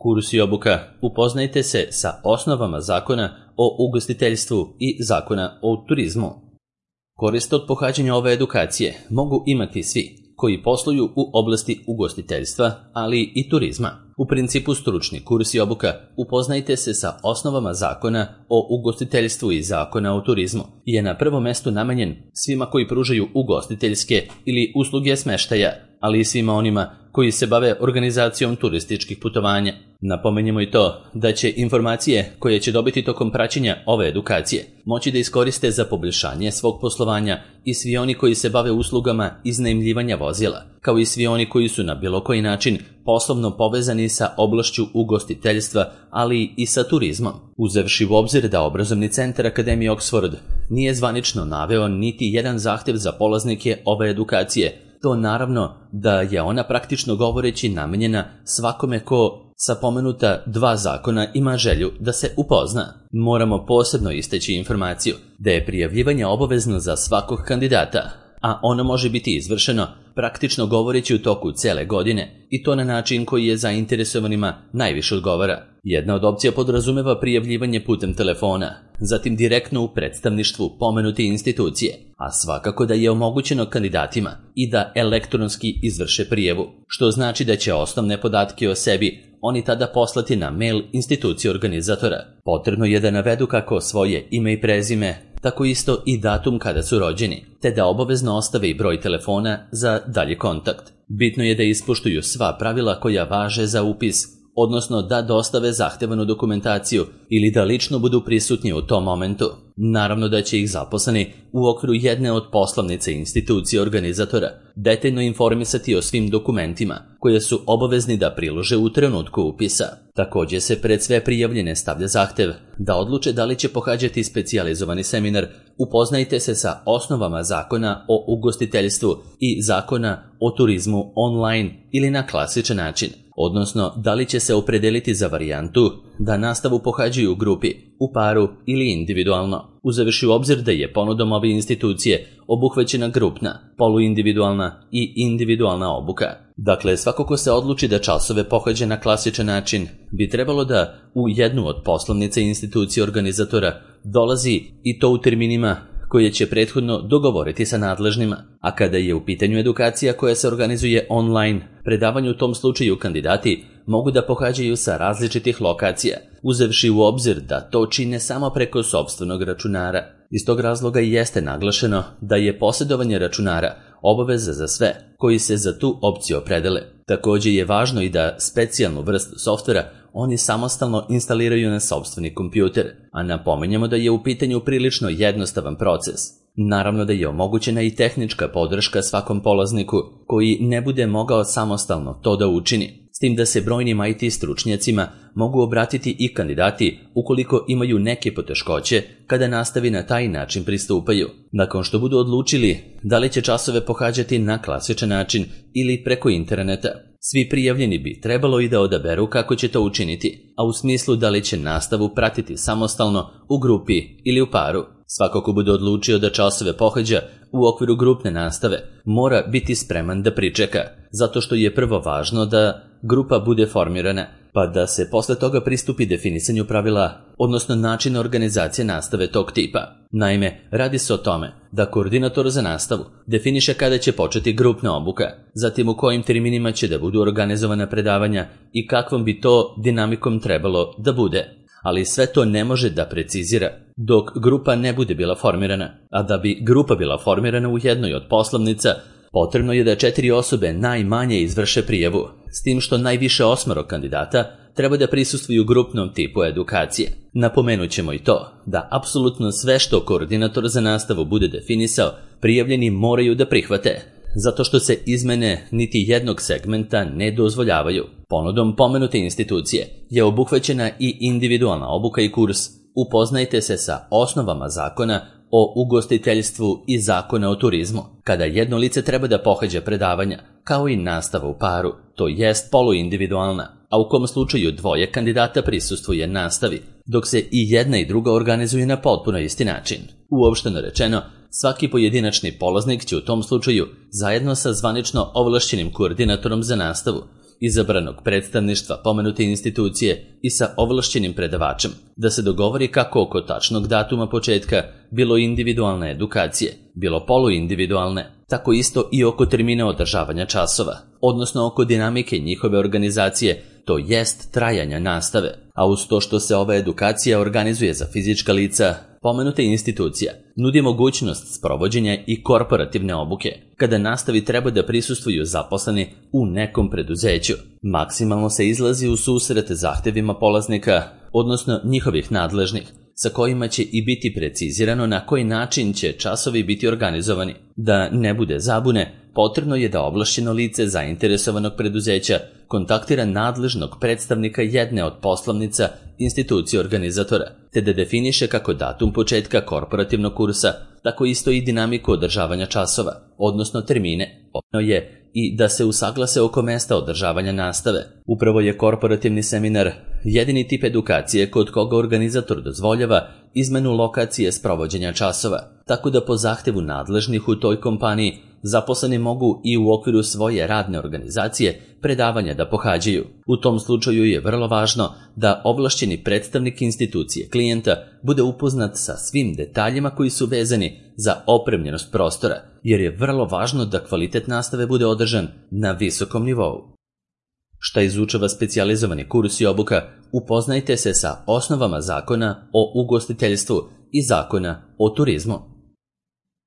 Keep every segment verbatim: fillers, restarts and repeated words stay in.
Kurs i obuka. Upoznajte se sa osnovama zakona o ugostiteljstvu i zakona o turizmu. Korist od pohađanja ove edukacije mogu imati svi koji posluju u oblasti ugostiteljstva, ali i turizma. U principu stručni kurs i obuka upoznajte se sa osnovama zakona o ugostiteljstvu i zakona o turizmu je na prvom mestu namenjen svima koji pružaju ugostiteljske ili usluge smeštaja, ali i svima onima koji se bave organizacijom turističkih putovanja. Napomenjemo i to da će informacije koje će dobiti tokom praćenja ove edukacije moći da iskoriste za poboljšanje svog poslovanja i svi oni koji se bave uslugama iznajmljivanja vozila, kao i svi oni koji su na bilo koji način poslovno povezani sa oblašću ugostiteljstva, ali i sa turizmom. Uzevši u obzir da obrazovni centar Akademije Oxford nije zvanično naveo niti jedan zahtev za polaznike ove edukacije, to naravno da je ona praktično govoreći namenjena svakome ko sa pomenuta dva zakona ima želju da se upozna. Moramo posebno istaći informaciju da je prijavljivanje obavezno za svakog kandidata, a ono može biti izvršeno praktično govoreći u toku cele godine i to na način koji je zainteresovanima najviše odgovara. Jedna od opcija podrazumeva prijavljivanje putem telefona, zatim direktno u predstavništvu pomenute institucije, a svakako da je omogućeno kandidatima i da elektronski izvrše prijavu, što znači da će osnovne podatke o sebi oni tada poslati na mail institucije organizatora. Potrebno je da navedu kako svoje ime i prezime, tako isto i datum kada su rođeni, te da obavezno ostave i broj telefona za dalji kontakt. Bitno je da ispoštuju sva pravila koja važe za upis, odnosno da dostave zahtevanu dokumentaciju ili da lično budu prisutni u tom momentu. Naravno da će ih zaposleni u okviru jedne od poslovnice institucije organizatora detaljno informisati o svim dokumentima koje su obavezni da prilože u trenutku upisa. Također se pred sve prijavljene stavlja zahtev da odluče da li će pohađati specijalizovani seminar Upoznajte se sa osnovama zakona o ugostiteljstvu i zakona o turizmu online ili na klasičan način, odnosno da li će se opredeliti za varijantu da nastavu pohađaju u grupi, u paru ili individualno, uzevši u obzir da je ponudom ove institucije obuhvaćena grupna, poluindividualna i individualna obuka. Dakle, svako ko se odluči da časove pohađa na klasičan način bi trebalo da u jednu od poslovnice institucije organizatora dolazi i to u terminima koje će prethodno dogovoriti sa nadležnima, a kada je u pitanju edukacija koja se organizuje online, predavanje u tom slučaju kandidati mogu da pohađaju sa različitih lokacija, uzevši u obzir da to čine samo preko sopstvenog računara. Iz tog razloga i jeste naglašeno da je posjedovanje računara obaveza za sve koji se za tu opciju opredele. Također je važno i da specijalnu vrstu softvera oni samostalno instaliraju na sopstveni kompjuter, a napominjemo da je u pitanju prilično jednostavan proces. Naravno da je omogućena i tehnička podrška svakom polazniku koji ne bude mogao samostalno to da učini, s tim da se brojnim I T stručnjacima mogu obratiti i kandidati ukoliko imaju neke poteškoće kada nastavi na taj način pristupaju. Nakon što budu odlučili da li će časove pohađati na klasičan način ili preko interneta, svi prijavljeni bi trebalo i da odaberu kako će to učiniti, a u smislu da li će nastavu pratiti samostalno, u grupi ili u paru. Svako ko bude odlučio da časove pohađa u okviru grupne nastave mora biti spreman da pričeka, zato što je prvo važno da grupa bude formirana, pa da se posle toga pristupi definisanju pravila, odnosno načina organizacije nastave tog tipa. Naime, radi se o tome da koordinator za nastavu definiše kada će početi grupna obuka, zatim u kojim terminima će da budu organizovana predavanja i kakvom bi to dinamikom trebalo da bude. Ali sve to ne može da precizira dok grupa ne bude bila formirana, a da bi grupa bila formirana u jednoj od poslovnica, potrebno je da četiri osobe najmanje izvrše prijavu, s tim što najviše osmoro kandidata treba da prisustvuju grupnom tipu edukacije. Napomenut ćemo i to da apsolutno sve što koordinator za nastavu bude definisao, prijavljeni moraju da prihvate, zato što se izmene niti jednog segmenta ne dozvoljavaju. Ponudom pomenute institucije je obuhvaćena i individualna obuka i kurs Upoznajte se sa osnovama zakona o ugostiteljstvu i zakona o turizmu, kada jedno lice treba da pohađa predavanja, kao i nastava u paru, to jest poluindividualna, a u kom slučaju dvoje kandidata prisustvuje nastavi, dok se i jedna i druga organizuje na potpuno isti način. Uopšteno rečeno, svaki pojedinačni polaznik će u tom slučaju, zajedno sa zvanično ovlašćenim koordinatorom za nastavu, izabranog predstavništva pomenute institucije i sa ovlašćenim predavačem, da se dogovori kako oko tačnog datuma početka, bilo individualne edukacije, bilo poluindividualne, tako isto i oko termina održavanja časova, odnosno oko dinamike njihove organizacije, to jest trajanja nastave, a uz to što se ova edukacija organizuje za fizička lica, pomenuta institucija nudi mogućnost sprovođenja i korporativne obuke, kada nastavi treba da prisustvuju zaposleni u nekom preduzeću. Maksimalno se izlazi u susret zahtevima polaznika, odnosno njihovih nadležnih, sa kojima će i biti precizirano na koji način će časovi biti organizovani. Da ne bude zabune, potrebno je da ovlašćeno lice zainteresovanog preduzeća kontaktira nadležnog predstavnika jedne od poslovnica institucije organizatora, te da definiše kako datum početka korporativnog kursa, tako isto i dinamiku održavanja časova, odnosno termine. Potrebno je i da se usaglase oko mesta održavanja nastave. Upravo je korporativni seminar jedini tip edukacije kod koga organizator dozvoljava izmenu lokacije sprovođenja časova, tako da po zahtevu nadležnih u toj kompaniji zaposleni mogu i u okviru svoje radne organizacije predavanja da pohađaju. U tom slučaju je vrlo važno da ovlašćeni predstavnik institucije klijenta bude upoznat sa svim detaljima koji su vezani za opremljenost prostora, jer je vrlo važno da kvalitet nastave bude održan na visokom nivou. Šta izučava specijalizovani kurs i obuka, upoznajte se sa osnovama zakona o ugostiteljstvu i zakona o turizmu.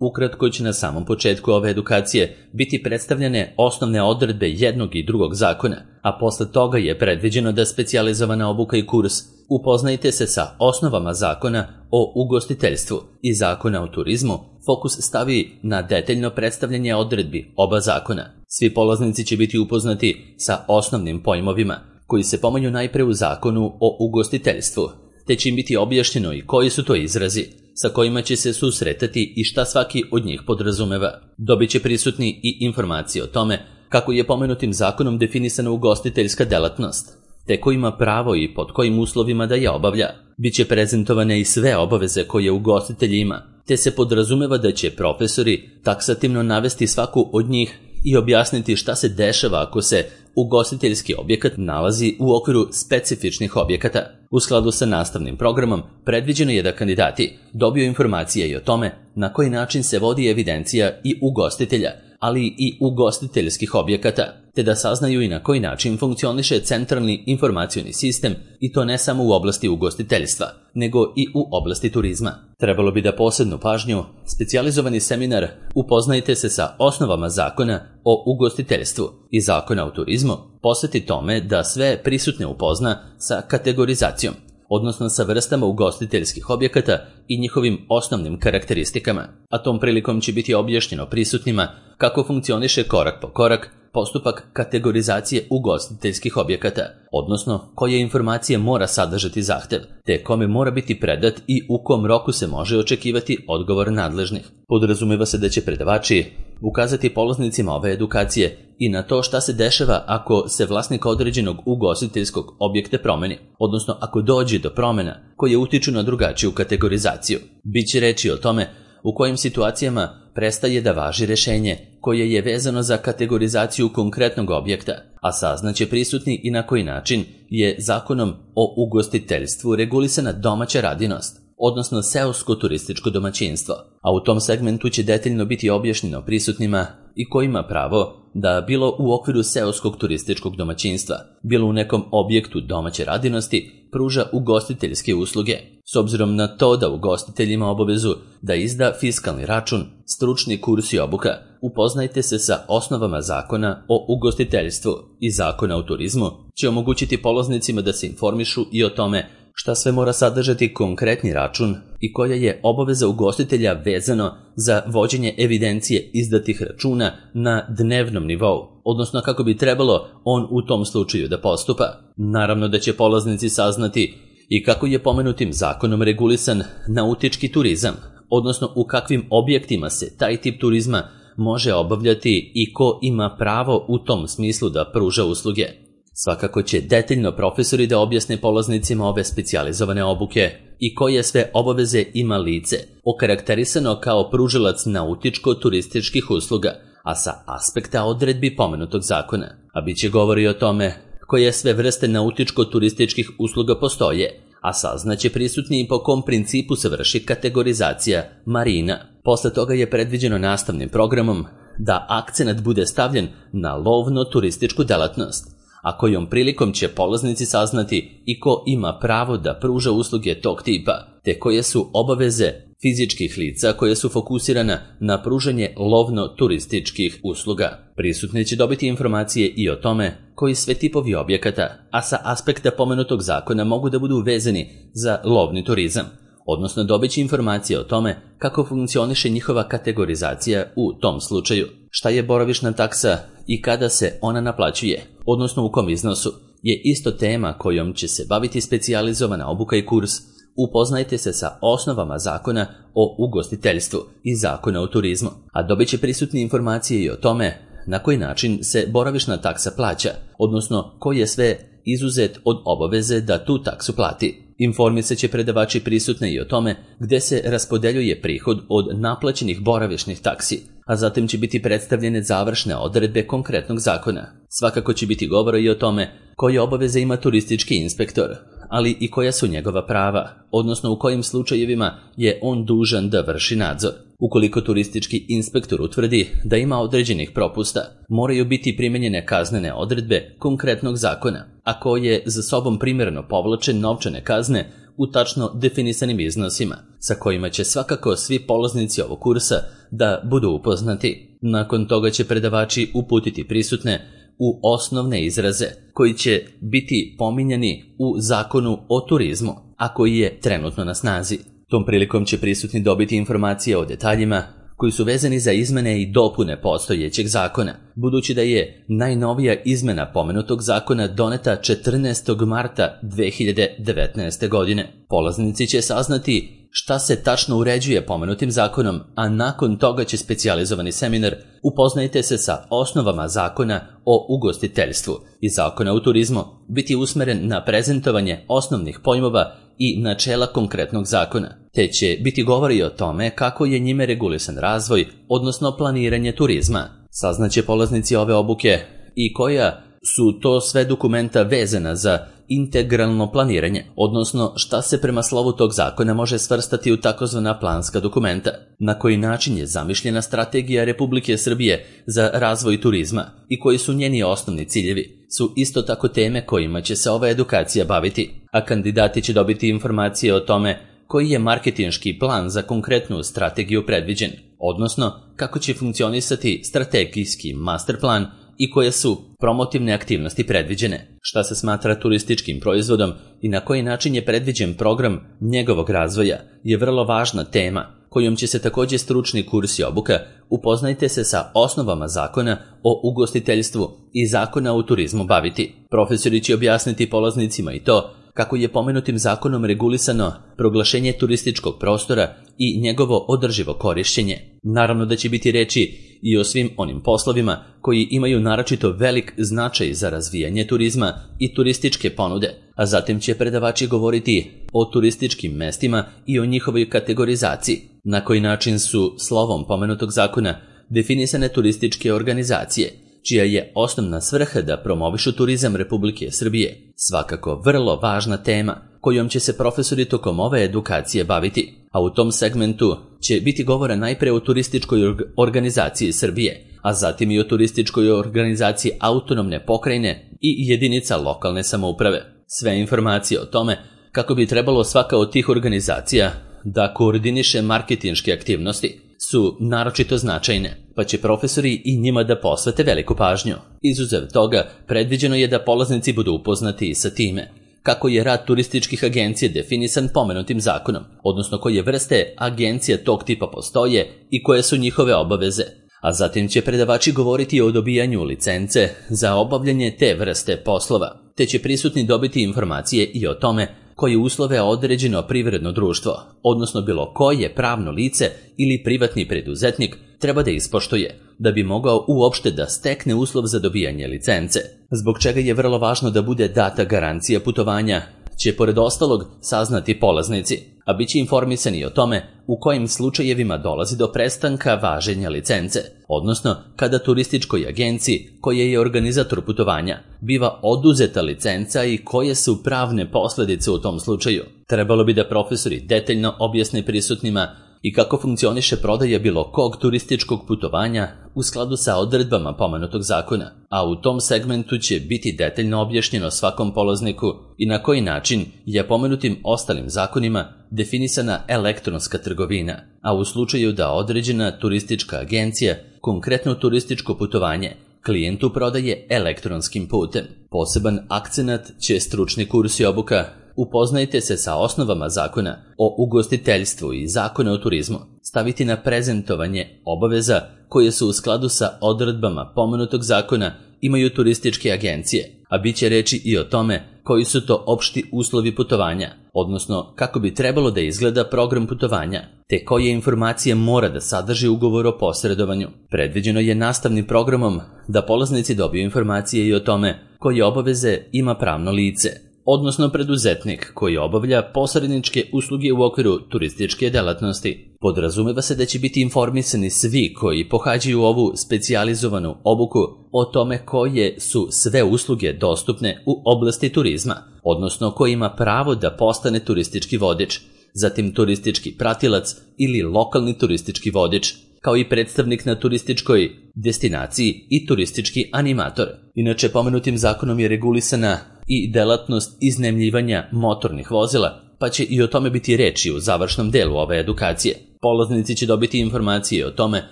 Ukratko će na samom početku ove edukacije biti predstavljene osnovne odredbe jednog i drugog zakona, a posle toga je predviđeno da specijalizovana obuka i kurs upoznajte se sa osnovama zakona o ugostiteljstvu i zakona o turizmu, fokus stavi na detaljno predstavljanje odredbi oba zakona. Svi polaznici će biti upoznati sa osnovnim pojmovima, koji se pominju najpre u zakonu o ugostiteljstvu, te će im biti objašnjeno i koji su to izrazi, sa kojima će se susretati i šta svaki od njih podrazumeva. Dobit će prisutni i informacije o tome kako je pomenutim zakonom definisana ugostiteljska delatnost, te ko ima pravo i pod kojim uslovima da je obavlja. Biće prezentovane i sve obaveze koje ugostitelj ima, te se podrazumeva da će profesori taksativno navesti svaku od njih i objasniti šta se dešava ako se ugostiteljski objekat nalazi u okviru specifičnih objekata. U skladu sa nastavnim programom predviđeno je da kandidati dobiju informacije i o tome na koji način se vodi evidencija i ugostitelja, ali i ugostiteljskih objekata, te da saznaju i na koji način funkcioniše centralni informacioni sistem, i to ne samo u oblasti ugostiteljstva, nego i u oblasti turizma. Trebalo bi da posebnu pažnju specijalizovani seminar upoznajte se sa osnovama zakona o ugostiteljstvu i zakona o turizmu posveti tome da sve prisutne upozna sa kategorizacijom, odnosno sa vrstama ugostiteljskih objekata i njihovim osnovnim karakteristikama, a tom prilikom će biti objašnjeno prisutnima kako funkcioniše korak po korak postupak kategorizacije ugostiteljskih objekata, odnosno koje informacije mora sadržati zahtev, te kome mora biti predat i u kom roku se može očekivati odgovor nadležnih. Podrazumeva se da će predavači ukazati polaznicima ove edukacije i na to šta se dešava ako se vlasnik određenog ugostiteljskog objekta promeni, odnosno ako dođe do promena koje utiču na drugačiju kategorizaciju. Biće reči o tome u kojim situacijama prestaje da važi rešenje koje je vezano za kategorizaciju konkretnog objekta, a saznaće prisutni i na koji način je zakonom o ugostiteljstvu regulisana domaća radinost, odnosno seosko turističko domaćinstvo, a u tom segmentu će detaljno biti objašnjeno prisutnima i ko ima pravo da bilo u okviru seoskog turističkog domaćinstva, bilo u nekom objektu domaće radinosti, pruža ugostiteljske usluge, s obzirom na to da ugostitelj ima obavezu da izda fiskalni račun, stručni kurs i obuka. Upoznajte se sa osnovama zakona o ugostiteljstvu i zakona o turizmu, će omogućiti polaznicima da se informišu i o tome šta sve mora sadržati konkretni račun i koja je obaveza ugostitelja vezano za vođenje evidencije izdatih računa na dnevnom nivou, odnosno kako bi trebalo on u tom slučaju da postupa. Naravno da će polaznici saznati i kako je pomenutim zakonom regulisan nautički turizam, odnosno u kakvim objektima se taj tip turizma može obavljati i ko ima pravo u tom smislu da pruža usluge. Svakako će detaljno profesori da objasne polaznicima ove specijalizovane obuke i koje sve obaveze ima lice, okarakterisano kao pružilac nautičko-turističkih usluga, a sa aspekta odredbi pomenutog zakona. a bit će govori o tome koje sve vrste nautičko-turističkih usluga postoje, a saznaće prisutni i po kom principu se vrši kategorizacija marina. Posle toga je predviđeno nastavnim programom da akcenat bude stavljen na lovno-turističku delatnost, a kojom prilikom će polaznici saznati i ko ima pravo da pruža usluge tog tipa, te koje su obaveze fizičkih lica koje su fokusirana na pružanje lovno-turističkih usluga. Prisutni će dobiti informacije i o tome koji sve tipovi objekata, a sa aspekta pomenutog zakona mogu da budu vezani za lovni turizam, odnosno dobit će informacije o tome kako funkcioniše njihova kategorizacija u tom slučaju, šta je boravišna taksa i kada se ona naplaćuje, odnosno u kom iznosu, je isto tema kojom će se baviti specijalizovana obuka i kurs. Upoznajte se sa osnovama zakona o ugostiteljstvu i zakona o turizmu, a dobit će prisutne informacije i o tome na koji način se boravišna taksa plaća, odnosno koji je sve izuzet od obaveze da tu taksu plati. Informisat će predavači prisutne i o tome gde se raspodeljuje prihod od naplaćenih boravišnih taksi, a zatim će biti predstavljene završne odredbe konkretnog zakona. Svakako će biti govora i o tome koje obaveze ima turistički inspektor, ali i koja su njegova prava, odnosno u kojim slučajevima je on dužan da vrši nadzor. Ukoliko turistički inspektor utvrdi da ima određenih propusta, moraju biti primenjene kaznene odredbe konkretnog zakona, a koje za sobom primjerno povlače novčane kazne u tačno definisanim iznosima, sa kojima će svakako svi polaznici ovog kursa da budu upoznati. Nakon toga će predavači uputiti prisutne u osnovne izraze koji će biti pominjani u zakonu o turizmu, a koji je trenutno na snazi. Tom prilikom će prisutni dobiti informacije o detaljima koji su vezani za izmene i dopune postojećeg zakona, budući da je najnovija izmena pomenutog zakona doneta četrnaestog marta dve hiljade devetnaeste. godine. Polaznici će saznati šta se tačno uređuje pomenutim zakonom, a nakon toga će specijalizovani seminar Upoznajte se sa osnovama zakona o ugostiteljstvu i zakona o turizmu biti usmeren na prezentovanje osnovnih pojmova i načela konkretnog zakona, te će biti govori o tome kako je njime regulisan razvoj, odnosno planiranje turizma. Saznaće polaznici ove obuke i koja su to sve dokumenta vezana za integralno planiranje, odnosno šta se prema slovu tog zakona može svrstati u takozvana planska dokumenta, na koji način je zamišljena strategija Republike Srbije za razvoj turizma i koji su njeni osnovni ciljevi, su isto tako teme kojima će se ova edukacija baviti, a kandidati će dobiti informacije o tome koji je marketinški plan za konkretnu strategiju predviđen, odnosno kako će funkcionisati strategijski master plan i koje su promotivne aktivnosti predviđene, šta se smatra turističkim proizvodom i na koji način je predviđen program njegovog razvoja je vrlo važna tema kojom će se također stručni kurs i obuka Upoznajte se sa osnovama zakona o ugostiteljstvu i zakona o turizmu baviti. Profesori će objasniti polaznicima i to kako je pomenutim zakonom regulisano proglašenje turističkog prostora i njegovo održivo korišćenje. Naravno da će biti reči i o svim onim poslovima koji imaju naročito velik značaj za razvijanje turizma i turističke ponude, a zatim će predavači govoriti o turističkim mestima i o njihovoj kategorizaciji, na koji način su slovom pomenutog zakona definisane turističke organizacije, čija je osnovna svrha da promovišu turizam Republike Srbije. Svakako vrlo važna tema kojom će se profesori tokom ove edukacije baviti, a u tom segmentu će biti govora najpre o turističkoj organizaciji Srbije, a zatim i o turističkoj organizaciji autonomne pokrajine i jedinica lokalne samouprave. Sve informacije o tome kako bi trebalo svaka od tih organizacija da koordiniše marketinške aktivnosti su naročito značajne, pa će profesori i njima da posvete veliku pažnju. Izuzev toga, predviđeno je da polaznici budu upoznati i sa time kako je rad turističkih agencija definisan pomenutim zakonom, odnosno koje vrste agencija tog tipa postoje i koje su njihove obaveze, a zatim će predavači govoriti o dobijanju licence za obavljanje te vrste poslova, te će prisutni dobiti informacije i o tome koje uslove određeno privredno društvo, odnosno bilo koje pravno lice ili privatni preduzetnik treba da ispoštuje da bi mogao uopšte da stekne uslov za dobijanje licence, zbog čega je vrlo važno da bude data garancija putovanja će pored ostalog saznati polaznici, a bit će informisani o tome u kojim slučajevima dolazi do prestanka važenja licence, odnosno kada turističkoj agenciji, koja je organizator putovanja, biva oduzeta licenca i koje su pravne posledice u tom slučaju. Trebalo bi da profesori detaljno objasne prisutnima i kako funkcioniše prodaja bilo kog turističkog putovanja u skladu sa odredbama pomenutog zakona, a u tom segmentu će biti detaljno objašnjeno svakom polazniku i na koji način je pomenutim ostalim zakonima definisana elektronska trgovina, a u slučaju da određena turistička agencija konkretno turističko putovanje klijentu prodaje elektronskim putem. Poseban akcenat će stručni kurs i obuka Upoznajte se sa osnovama zakona o ugostiteljstvu i zakona o turizmu, staviti na prezentovanje obaveza koje su u skladu sa odredbama pomenutog zakona imaju turističke agencije, a bit će reči i o tome koji su to opšti uslovi putovanja, odnosno kako bi trebalo da izgleda program putovanja, te koje informacije mora da sadrži ugovor o posredovanju. Predviđeno je nastavnim programom da polaznici dobiju informacije i o tome koje obaveze ima pravno lice, odnosno preduzetnik koji obavlja posredničke usluge u okviru turističke delatnosti. Podrazumeva se da će biti informisani svi koji pohađaju ovu specijalizovanu obuku o tome koje su sve usluge dostupne u oblasti turizma, odnosno ko ima pravo da postane turistički vodič, zatim turistički pratilac ili lokalni turistički vodič, kao i predstavnik na turističkoj destinaciji i turistički animator. Inače, pomenutim zakonom je regulisana i delatnost iznajmljivanja motornih vozila, pa će i o tome biti reči u završnom delu ove edukacije. Polaznici će dobiti informacije o tome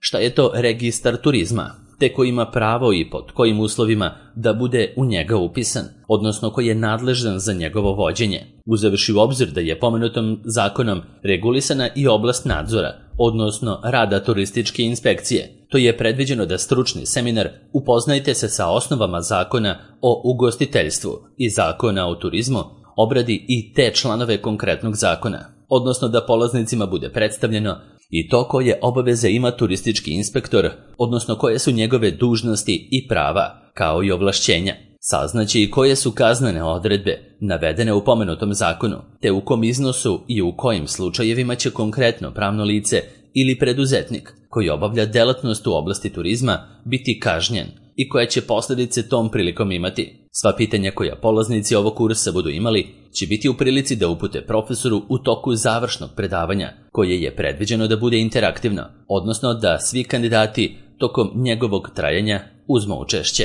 šta je to registar turizma, te ko ima pravo i pod kojim uslovima da bude u njega upisan, odnosno ko je nadležan za njegovo vođenje. Uzevši u obzir da je pomenutom zakonom regulisana i oblast nadzora, odnosno rada turističke inspekcije, to je predviđeno da stručni seminar Upoznajte se sa osnovama zakona o ugostiteljstvu i zakona o turizmu obradi i te članove konkretnog zakona, odnosno da polaznicima bude predstavljeno i to koje obaveze ima turistički inspektor, odnosno koje su njegove dužnosti i prava, kao i ovlašćenja. Saznaće i koje su kaznene odredbe navedene u pomenutom zakonu, te u kom iznosu i u kojim slučajevima će konkretno pravno lice ili preduzetnik koji obavlja delatnost u oblasti turizma biti kažnjen i koje će posljedice tom prilikom imati. Sva pitanja koja polaznici ovog kursa budu imali će biti u prilici da upute profesoru u toku završnog predavanja, koje je predviđeno da bude interaktivno, odnosno da svi kandidati tokom njegovog trajanja uzmu učešće.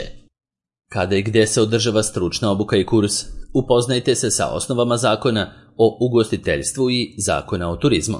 Kada i gde se održava stručna obuka i kurs, upoznajte se sa osnovama zakona o ugostiteljstvu i zakona o turizmu.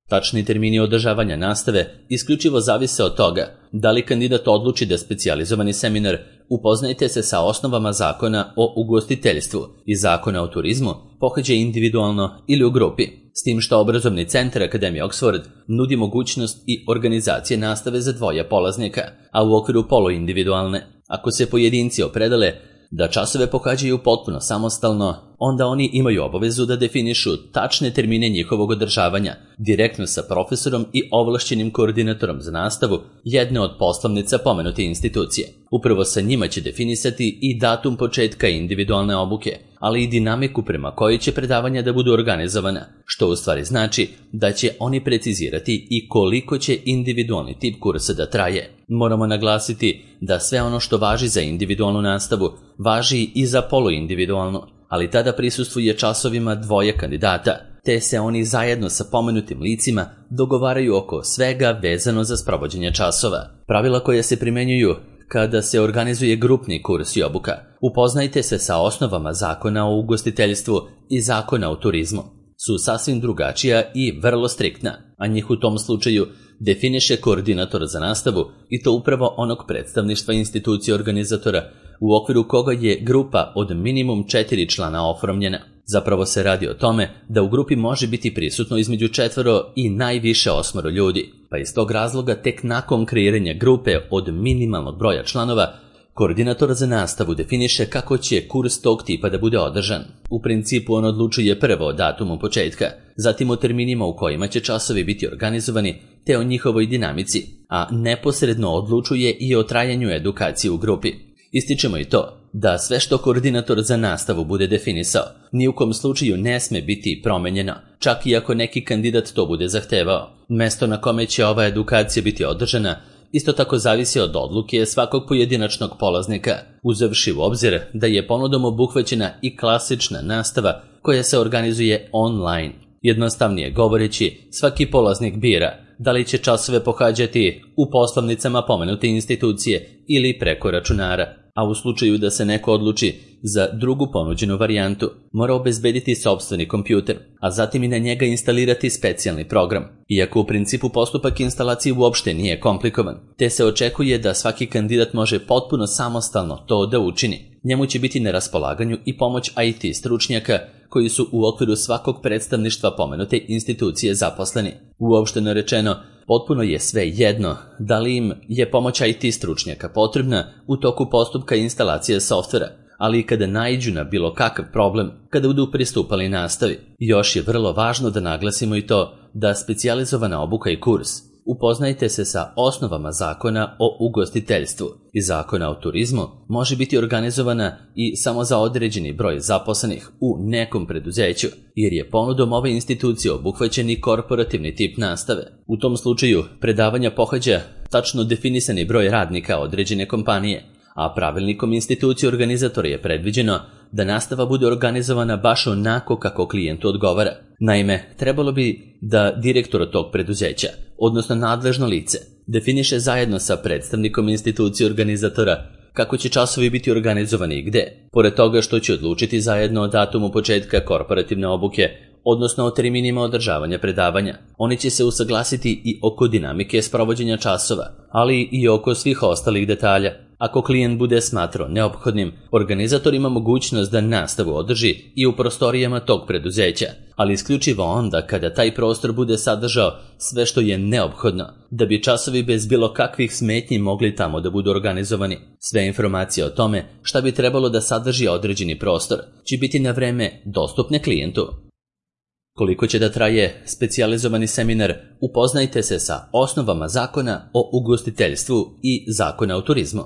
Tačni termini održavanja nastave isključivo zavise od toga da li kandidat odluči da specijalizovani seminar Upoznajte se sa osnovama zakona o ugostiteljstvu i zakona o turizmu pohađa individualno ili u grupi, s tim što obrazovni centar Akademije Oxford nudi mogućnost i organizacije nastave za dvoje polaznika, a u okviru poluindividualne. Ako se pojedinci opredele da časove pohađaju potpuno samostalno, onda oni imaju obavezu da definišu tačne termine njihovog održavanja direktno sa profesorom i ovlašćenim koordinatorom za nastavu jedne od poslovnica pomenute institucije. Upravo sa njima će definisati i datum početka individualne obuke, ali i dinamiku prema kojoj će predavanja da budu organizovana, što u stvari znači da će oni precizirati i koliko će individualni tip kursa da traje. Moramo naglasiti da sve ono što važi za individualnu nastavu važi i za poluindividualnu, ali tada prisustvuje časovima dvoje kandidata, te se oni zajedno sa pomenutim licima dogovaraju oko svega vezano za sprovođenje časova. Pravila koja se primenjuju kada se organizuje grupni kurs i obuka. Upoznajte se sa osnovama zakona o ugostiteljstvu i zakona o turizmu. Su sasvim drugačija i vrlo striktna, a njih u tom slučaju definiše koordinator za nastavu i to upravo onog predstavništva institucije organizatora u okviru koga je grupa od minimum četiri člana oformljena. Zapravo se radi o tome da u grupi može biti prisutno između četvoro i najviše osmoro ljudi, pa iz tog razloga tek nakon kreiranja grupe od minimalnog broja članova, koordinator za nastavu definiše kako će kurs tog tipa da bude održan. U principu on odlučuje prvo o datumu početka, zatim o terminima u kojima će časovi biti organizovani, te o njihovoj dinamici, a neposredno odlučuje i o trajanju edukacije u grupi. Ističemo i to da sve što koordinator za nastavu bude definisao ni u kom slučaju ne sme biti promenjeno, čak i ako neki kandidat to bude zahtevao. Mesto na kome će ova edukacija biti održana isto tako zavisi od odluke svakog pojedinačnog polaznika, uzevši u obzir da je ponudom obuhvaćena i klasična nastava koja se organizuje online. Jednostavnije govoreći, svaki polaznik bira da li će časove pohađati u poslovnicama pomenute institucije ili preko računara, a u slučaju da se neko odluči za drugu ponuđenu varijantu, mora obezbediti sopstveni kompjuter, a zatim i na njega instalirati specijalni program. Iako u principu postupak instalacije uopšte nije komplikovan, te se očekuje da svaki kandidat može potpuno samostalno to da učini. Njemu će biti na raspolaganju i pomoć I T stručnjaka koji su u okviru svakog predstavništva pomenute institucije zaposleni. Uopšteno rečeno, potpuno je sve jedno da li im je pomoć I T stručnjaka potrebna u toku postupka instalacije softvera, ali i kada naiđu na bilo kakav problem kada budu pristupali nastavi. Još je vrlo važno da naglasimo i to da specijalizovana obuka i kurs Upoznajte se sa osnovama zakona o ugostiteljstvu i zakona o turizmu može biti organizovana i samo za određeni broj zaposlenih u nekom preduzeću, jer je ponudom ove institucije obuhvaćen i korporativni tip nastave. U tom slučaju predavanja pohađa tačno definisani broj radnika određene kompanije, a pravilnikom institucije organizatora je predviđeno da nastava bude organizovana baš onako kako klijentu odgovara. Naime, trebalo bi da direktor tog preduzeća, odnosno nadležno lice, definiše zajedno sa predstavnikom institucije organizatora kako će časovi biti organizovani i gde. Pored toga što će odlučiti zajedno o datumu početka korporativne obuke, odnosno o terminima održavanja predavanja. Oni će se usaglasiti i oko dinamike sprovođenja časova, ali i oko svih ostalih detalja. Ako klijent bude smatrao neophodnim, organizator ima mogućnost da nastavu održi i u prostorijama tog preduzeća, ali isključivo onda kada taj prostor bude sadržao sve što je neophodno da bi časovi bez bilo kakvih smetnji mogli tamo da budu organizovani. Sve informacije o tome šta bi trebalo da sadrži određeni prostor će biti na vreme dostupne klijentu. Koliko će da traje specijalizovani seminar, upoznajte se sa osnovama zakona o ugostiteljstvu i zakona o turizmu.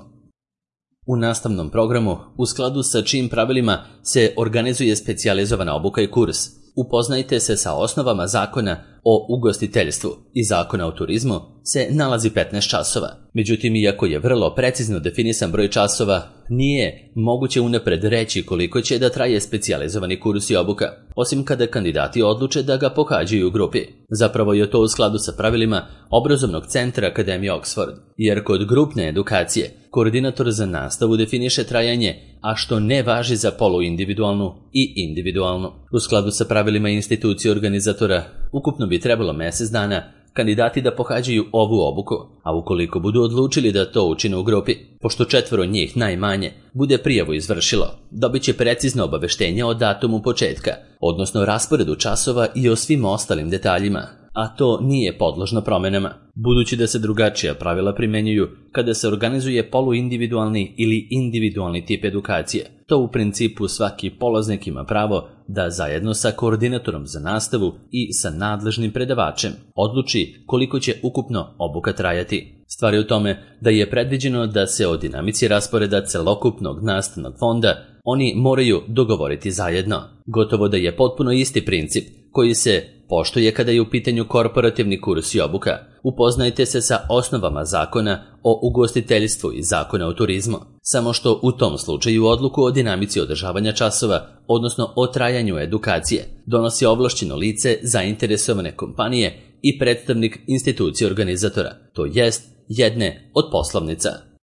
U nastavnom programu, u skladu sa čijim pravilima se organizuje specijalizovana obuka i kurs, upoznajte se sa osnovama zakona o ugostiteljstvu i zakona o turizmu, se nalazi petnaest časova. Međutim, iako je vrlo precizno definisan broj časova, nije moguće unapred reći koliko će da traje specijalizovani kurs i obuka, osim kada kandidati odluče da ga pohađaju u grupi. Zapravo je to u skladu sa pravilima obrazovnog centra Akademije Oxford, jer kod grupne edukacije koordinator za nastavu definiše trajanje, a što ne važi za poluindividualnu i individualnu. U skladu sa pravilima institucije organizatora, ukupno bi trebalo mesec dana kandidati da pohađaju ovu obuku, a ukoliko budu odlučili da to učine u grupi, pošto četvoro njih najmanje bude prijavu izvršilo, dobit će precizno obaveštenje o datumu početka, odnosno rasporedu časova i o svim ostalim detaljima, a to nije podložno promenama. Budući da se drugačija pravila primenjuju kada se organizuje poluindividualni ili individualni tip edukacije, to u principu svaki polaznik ima pravo da zajedno sa koordinatorom za nastavu i sa nadležnim predavačem odluči koliko će ukupno obuka trajati. Stvar je u tome da je predviđeno da se o dinamici rasporeda celokupnog nastavnog fonda oni moraju dogovoriti zajedno. Gotovo da je potpuno isti princip koji se poštuje kada je u pitanju korporativni kurs i obuka. Upoznajte se sa osnovama zakona o ugostiteljstvu i zakona o turizmu. Samo što u tom slučaju odluku o dinamici održavanja časova, odnosno o trajanju edukacije, donosi ovlašćeno lice zainteresovane kompanije i predstavnik institucije organizatora, to jest jedne od poslovnica.